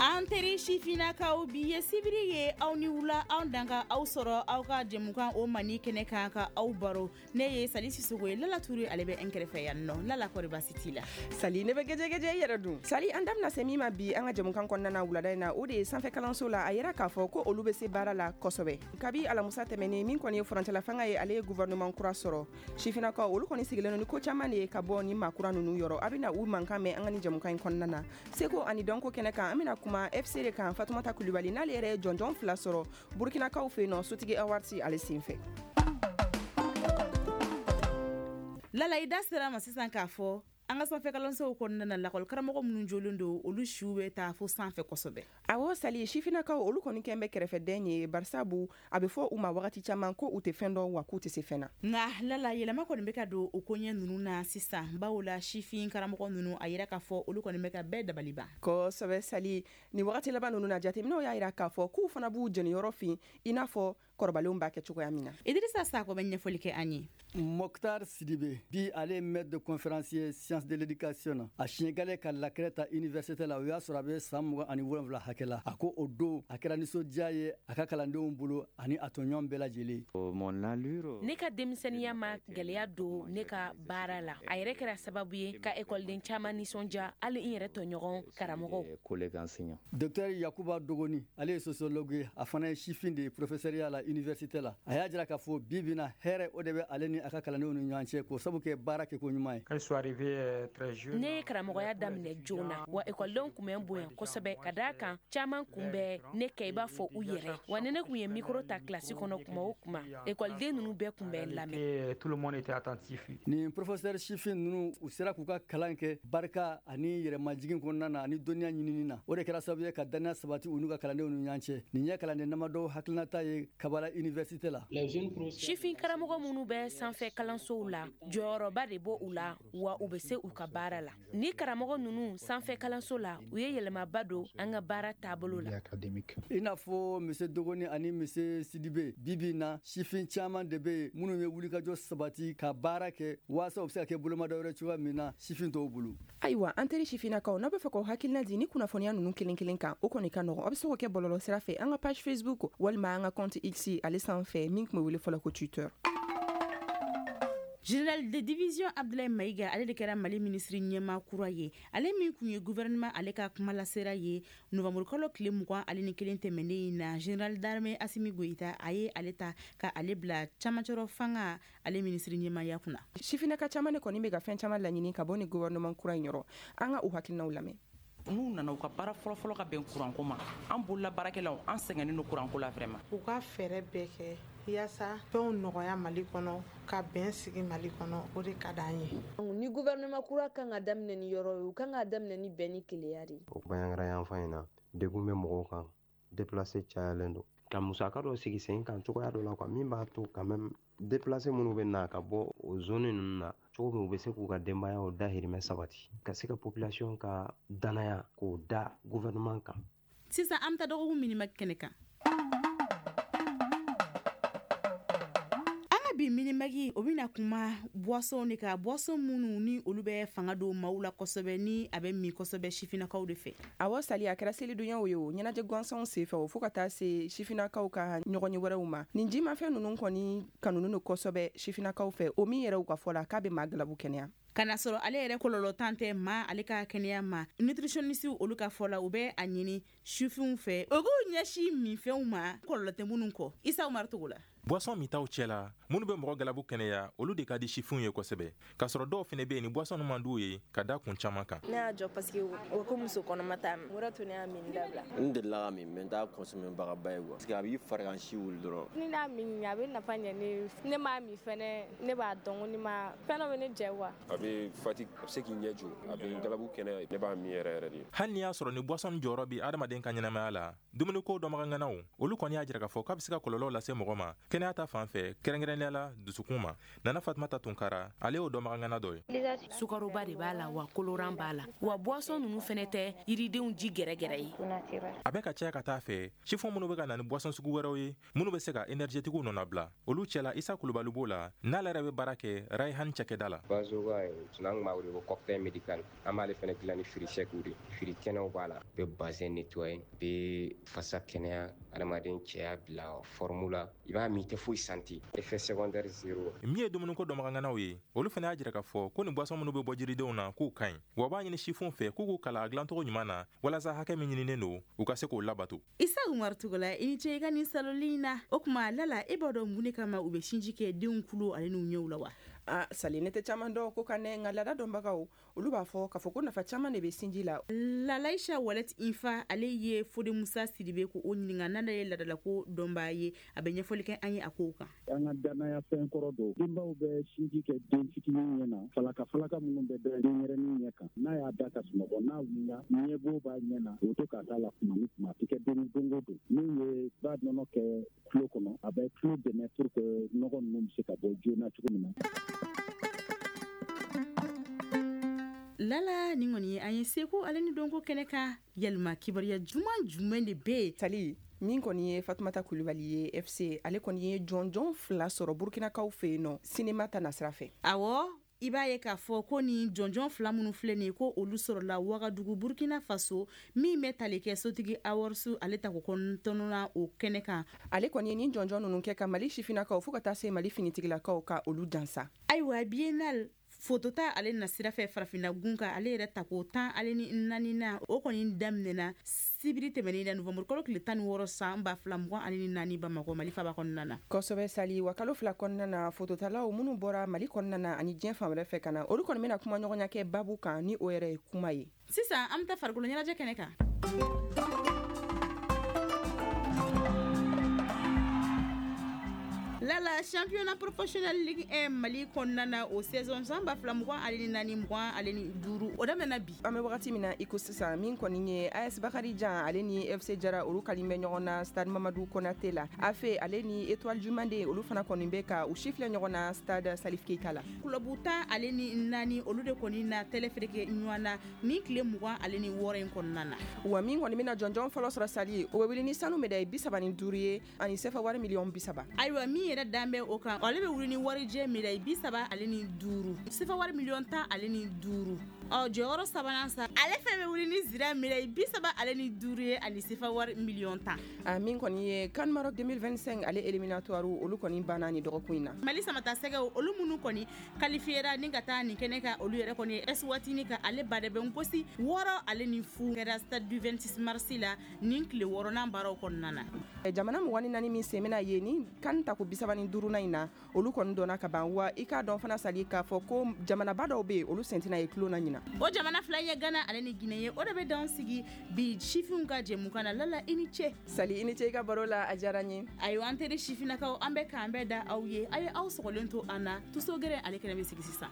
An teri sifinnakaw, bi ye sibiri ye. Aw ni wula, anw dan ka aw sɔrɔ aw ka jɛmukan o mandi kɛnɛ kan ka aw baro. Ne ye Sali Sisogo ye, Lala Ture ale bɛ n kɛrɛfɛ yan nɔ. Lala, kɔri baasi t'i la? Sali, ne bɛ gɛjɛgɛjɛ, i yɛrɛ dun? Sali, an da bɛna se min ma bi an ka jɛmukan kɔnɔna na wulada in na, o de ye sanfɛ kalanso la, a yira k'a fɔ ko olu bɛ se baara la kosɛbɛ kabi alamusa tɛmɛnen. Min kɔni ye furancɛla fanga ye, ale ye gouvernement kura sɔrɔ. Sifinnakaw, olu kɔni sigilen don ni ko caman de ye ka bɔ ni maa kura ninnu yɔrɔ. A bɛna u mankan mɛn an ka ni jɛmukan in kɔnɔna na. Seko ani dɔnko kɛnɛ kan, an bɛna kuma FC de kan. Fatumata Kulibali, n'ale yɛrɛ ye jɔnjɔn fila sɔrɔ Burkinakaw fɛ yen nɔ, Sotigi Awards ale senfɛ. Lala, i da sera ma sisan k'a fɔ an ka sanfɛ kalansow kɔnɔna na, lakɔlikaramɔgɔ minnu jolen don, olu siw bɛ taa fo sanfɛ kosɛbɛ. Awɔ Sali, sifinnakaw, olu kɔni kɛn bɛ kɛrɛfɛdɛn ye, barisabu a bɛ fɔ u ma wagati caman ko u tɛ fɛn dɔn, wa k'u tɛ se fɛn na. Nka Lala, yɛlɛma kɔni bɛ ka don o koɲɛ ninnu na sisan, bawo la sifin karamɔgɔ ninnu, a yira k'a fɔ olu kɔni bɛ ka bɛɛ dabali ban. Kosɛbɛ Sali, nin wagati laban ninnu na, jateminɛw y'a yira k'a fɔ k'u fana b'u jɔniyɔrɔ fin i n'a fɔ kɔrɔbalenw b'a kɛ cogoya min na. Idirisa Sakɔ bɛ ɲɛfɔli kɛ an ye. Mokhtar Sidibe, bi ale ye maître de conférence ye science de l'éducation na. A siɲɛ gale ka lakɛrɛ ta université la, o y'a sɔrɔ a bɛ san 27 hakɛ la. A ko o don a kɛra nisɔndiya ye a ka kalandenw bolo ani a tɔɲɔgɔn bɛɛ lajɛlen. Ne ka denmisɛnniya ma gɛlɛya don ne ka baara la. A yɛrɛ kɛra sababu ye ka ekɔliden caman nisɔndiya, hali n yɛrɛ tɔɲɔgɔn karamɔgɔw. Docteur Yakuba Dogoni, ale ye sociologue ye, a fana ye sifin de ye professeur la université la. A y'a jira k'a fɔ bi bi na, hɛrɛ o de bɛ ale ni a ka kalandenw ni ɲɔgɔn cɛ, k'o sabu kɛ baara kɛko ɲuman ye. Ne ye karamɔgɔya daminɛ joona, wa ekɔlidenw kun bɛ n bonya kosɛbɛ, ka d'a kan caman kun bɛ ne kɛ i b'a fɔ u yɛrɛ. Wa ni ne kun ye mikoro ta kilasi kɔnɔ kuma o kuma, ekɔliden ninnu bɛɛ kun bɛ n lamɛn. Nin professeur sifin ninnu, u sera k'u ka kalan kɛ barika ani yɛrɛmajigin kɔnɔna na ani dɔnniya ɲinini na. O de kɛra sababu ye ka dannaya sabati u n'u ka kalandenw ni ɲɔgɔn cɛ. Nin ye kalanden damadɔw hakilinata ye Kabala université la. Sifin karamɔgɔ minnu bɛ sanfɛ kalansow la, jɔyɔrɔba de bɔ u la, wa u bɛ se u ka baara la. Ni karamɔgɔ ninnu sanfɛ kalanso la, u ye yɛlɛmaba don an ka baara taabolo la. I n'a fɔ monsieur Dogoni ani monsieur Sidibe, bi bi na sifin caman de bɛ yen minnu ye wulikajɔ sabati ka baara kɛ waasa u bɛ se ka kɛ bolomada wɛrɛ cogoya min na sifin tɔw bolo. Ayiwa, an teri sifinnakaw, n'aw bɛ fɛ k'aw hakilina di ni kunnafoniya ninnu kelen kelen kan, o kɔni ka nɔgɔn. Aw bɛ se k'o kɛ bɔlɔlɔ sira fɛ, an ka page Facebook walima an ka compte X ale sanfɛ, min tun bɛ wele fɔlɔ ko Twitter. Général de division Abdoulaye Maïga, ale de kɛra Mali minisiri ɲɛmaa kura ye. Ale min kun ye gouvernement ale ka kumalasera ye, novembre kalo tile 21 tɛmɛnen in na, général d'armée Assimi Goïta a ye ale ta ka ale bila camancɛrɔ fanga ale minisiri ɲɛmaaya kunna. Sifinnaka caman de kɔni bɛ ka fɛn caman laɲini ka bɔ ni gouvernement kura in yɔrɔ. An ka u hakilinaw lamɛn. N'u nana, u ka baara fɔlɔfɔlɔ ka bɛn kuranko ma. An bolola baarakɛlaw, an sɛgɛnnen don kuranko la vraiment. U ka fɛɛrɛ bɛɛ kɛ yaasa fɛnw nɔgɔya Mali kɔnɔ, ka bɛn sigi Mali kɔnɔ, o de ka d'an ye. Ni gouvernement kura kan ka daminɛ ni yɔrɔ ye, u kan ka daminɛ ni bɛn ni keleya de ye. O Bandiagara yanfan in na, degun bɛ mɔgɔw kan, déplacé cayalen don. Ka musaka dɔ sigi sen kan cogoya dɔ la quoi, min b'a to quand même déplacé minnu bɛ na ka bɔ o zone ninnu na, cogo min u bɛ se k'u ka denbayaw dahirimɛ sabati, ka se ka population ka danaya k'o da gouvernement kan. Sisan an bɛ taa dɔgɔkun minimag kɛnɛ kan. An ka bi minimag, o bɛna kuma boisson de kan, boisson minnu ni olu bɛ fanga don maaw la kosɛbɛ, ni a bɛ min kosɛbɛ sifinnakaw de fɛ. Awɔ Sali, a kɛra selidonyaw ye o, ɲɛnajɛ gansanw senfɛ o, fo ka taa se sifinnakaw ka ɲɔgɔnye wɛrɛw ma, nin jimafɛn ninnu kɔni kanunen don kosɛbɛ sifinnakaw fɛ, o min yɛrɛ u ka fɔ la k'a bɛ maa galabu kɛnɛya. Ka na sɔrɔ ale yɛrɛ kɔlɔlɔ tan tɛ maa ale ka kɛnɛya ma. Nutritionniste olu ka fɔ la, u bɛ a ɲini sifinw fɛ u k'u ɲɛsin minfɛnw ma kɔlɔlɔ tɛ minnu kɔ. Isa Umaru Togo la. Boisson mintaw cɛ la, minnu bɛ mɔgɔ galabu kɛnɛya, olu de ka di sifinw ye kosɛbɛ, k'a sɔrɔ dɔw fɛnɛ bɛ yen, ni boisson man d'u ye ka da kun caman kan. Ne y'a jɔ parce que o ko muso kɔnɔma t'a min. O de to ne y'a min dabila. N delila ka min, mais n t'a consommer bagaba ye quoi, parce que a b'i farigansi wuli dɔrɔn. Ni n'a min, a bɛ nafa ɲɛ ne. Ne m'a min fɛnɛ, ne b'a dɔn ko ne ma fɛn dɔ bɛ ne jɛ quoi. A bɛ fatigue, a bɛ se k'i ɲɛ jɔ, a bɛ galabu kɛnɛya, ne b'a min yɛrɛ yɛrɛ de. Hali n'i y'a sɔrɔ ni boisson jɔyɔrɔ bɛ adamaden ka ɲɛnamaya la, dumuniko dɔnbagaŋanaw, olu kɔni y'a jira k'a fɔ k'a bɛ se ka kɔlɔlɔw lase mɔgɔ ma kɛnɛya ta fan fɛ, kɛrɛnkɛrɛnnenya kɛrɛnkɛrɛnnenya la dusukun ma. Nana Fatumata Tunkara, ale y'o dɔnbagangana dɔ ye. Sukaroba de b'a la, wa colorant b'a la, wa boisson ninnu fɛnɛ tɛ yiridenw ji gɛrɛgɛrɛ ye. A bɛ ka caya ka taa fɛ, sifin minnu bɛ ka na ni boisson sugu wɛrɛw ye minnu bɛ se ka énergétiquew nɔnabila, olu cɛla Isa Kulubali b'o la, n'ale yɛrɛ bɛ baara kɛ Rayhan cakɛda la. Bazoga n'an tun b'a wele ko cocktail médical, an b'ale fɛnɛ dilan ni fruits secs de, fruits kɛnɛw b'a la, bɛ bazin nettoyer, bɛ fasa kɛnɛya, adamaden cɛya bila forme la, i b'a min i tɛ foyi santi, effet secondaire zéro. Min ye dumuniko dɔnbaganganaw ye, olu fana y'a jira k'a fɔ ko nin boisson minnu bɛ bɔ jiridenw na k'u ka ɲi, wa u b'a ɲini sifinw fɛ k'u k'u kalan a dilancogo ɲuman na walasa hakɛ min ɲininen don u ka se k'o labato. Isa Umaru Togola, i ni ce i ka nin saloli in na. O tuma Lala, e b'a dɔn mun de kama u bɛ sinji kɛ denw kulo ale n'u ɲɛw la wa? Ah, Sali, ne tɛ caman dɔn ko kan dɛ, nka laada dɔnbagaw olu b'a fɔ k'a fɔ ko nafa caman de bɛ sinji la. Lalaisha Walet Infa, ale ye Fode Musa Sidibe ko o ɲininka, n'ale ye laadalako dɔnbaa ye, a bɛ ɲɛfɔli kɛ an ye a kow kan. An ka danaya fɛn kɔrɔ don, denbaw bɛ sinji kɛ den fitinin ɲɛ na, falaka falaka minnu bɛ da denyɛrɛnin ɲɛ kan, n'a y'a da ka sunɔgɔ, n'a wulila ɲɛbo b'a ɲɛ na, o to k'a da la kuma ni kuma, a tɛ kɛ don don o don. N'u ye ba nɔnɔ kɛ tulo kɔnɔ, a bɛ tulo dɛmɛ pour que nɔgɔ ninnu bɛ se ka bɔ joona cogo min na. Lala, nin kɔni ye an ye seko ale ni dɔnko kɛnɛ kan. Yalima kibaruya juman jumɛn de bɛ yen? Sali, min kɔni ye Fatumata Kulubali ye FC, ale kɔni ye jɔnjɔn 2 sɔrɔ Burkinakaw fɛ yen nɔ sinema ta nasira fɛ. Awɔ, i b'a ye k'a fɔ ko nin jɔnjɔn 2 minnu filɛ nin ye, ko olu sɔrɔla Wagadugu, Burkina Faso, min bɛ tali kɛ Sotigi Awards ale tako kɔnɔntɔnnan o kɛnɛ kan. Ale kɔni ye nin jɔnjɔn ninnu kɛ ka Mali sifinnakaw fo ka taa se Mali finitigilakaw ka olu jansa. Ayiwa, biennale fotota ale nasira fɛ farafinna gun kan, ale yɛrɛ tako 14 na, o kɔni daminɛna sibiri tɛmɛnen na, novembre kalo tile 16 san 2024, Bamakɔ, Mali faba kɔnɔna na. Kosɛbɛ Sali, wa kalo 2 kɔnɔna na, fototalaw minnu bɔra Mali kɔnɔna na ani diɲɛ fan wɛrɛ fɛ ka na, olu kɔni bɛna kuma ɲɔgɔnya kɛ babu kan ni o yɛrɛ ye kuma ye. Sisan an bɛ taa farikolo ɲɛnajɛ kɛnɛ kan. Lala, championnat professionnel Ligue 1 Mali kɔnɔna na, o saison san 2024-25, o daminɛna bi. An bɛ wagati min na i ko sisan, min kɔni ye AS Bakarijan ale ni FC Jara, olu kalen bɛ ɲɔgɔn na stade Mamadu Konate la. AFE ale ni Étoile du Mande, olu fana kɔni bɛ ka u sifilɛ ɲɔgɔn na stade Salif Keita la. Club 14, olu de kɔni na tɛlɛ fereke ɲɔgɔn na ni tile 26 in kɔnɔna na. Wa min kɔni bɛna jɔnjɔn fɔlɔ sɔrɔ Sali, o bɛ wuli ni sanu médaille 35 ye ani sefa wari miliyɔn 30. Ayiwa, min yɛrɛ dan bɛ o kan, ale bɛ wuli ni warijɛ médaille 35, sefa wari miliyɔn 15. Ɔ, jɔyɔrɔ sabanan sa, ale fɛn bɛ wuli ni zira médaille 35 ye ani sefa wari miliyɔn 10. A min kɔni ye CAN Maroc 2025 ale éliminatoire, olu kɔni banna ni dɔgɔkun in na. Mali samata sɛgɛw, olu minnu kɔni qualifiera ni ka taa nin kɛnɛ kan, olu yɛrɛ kɔni ye Eswatini ka ale badɛbɛn gosi 6-0 kɛra stade du 26 mars la nin tile 6nan baaraw kɔnɔna na. Jamana 24 min sen bɛna ye ni CAN tako 35nan in na, olu kɔni dɔnna ka ban. Wa i k'a dɔn fana Sali k'a fɔ ko jamanaba dɔw bɛ yen, olu sen tɛna ye tulon na ɲina. O jamana 2 ye Gana ale ni Guinée ye. O de bɛ dan sigi bi sifinw ka jɛmukan na. Lala, i ni ce. Sali, i ni ce i ka baro la, a diyara n ye. Ayiwa, an teri sifinnakaw, an bɛ k'an bɛɛ da aw ye, a ye aw sɔgɔlen to an na. Tuso gɛrɛ ale kɛnɛ bɛ sigi sisan.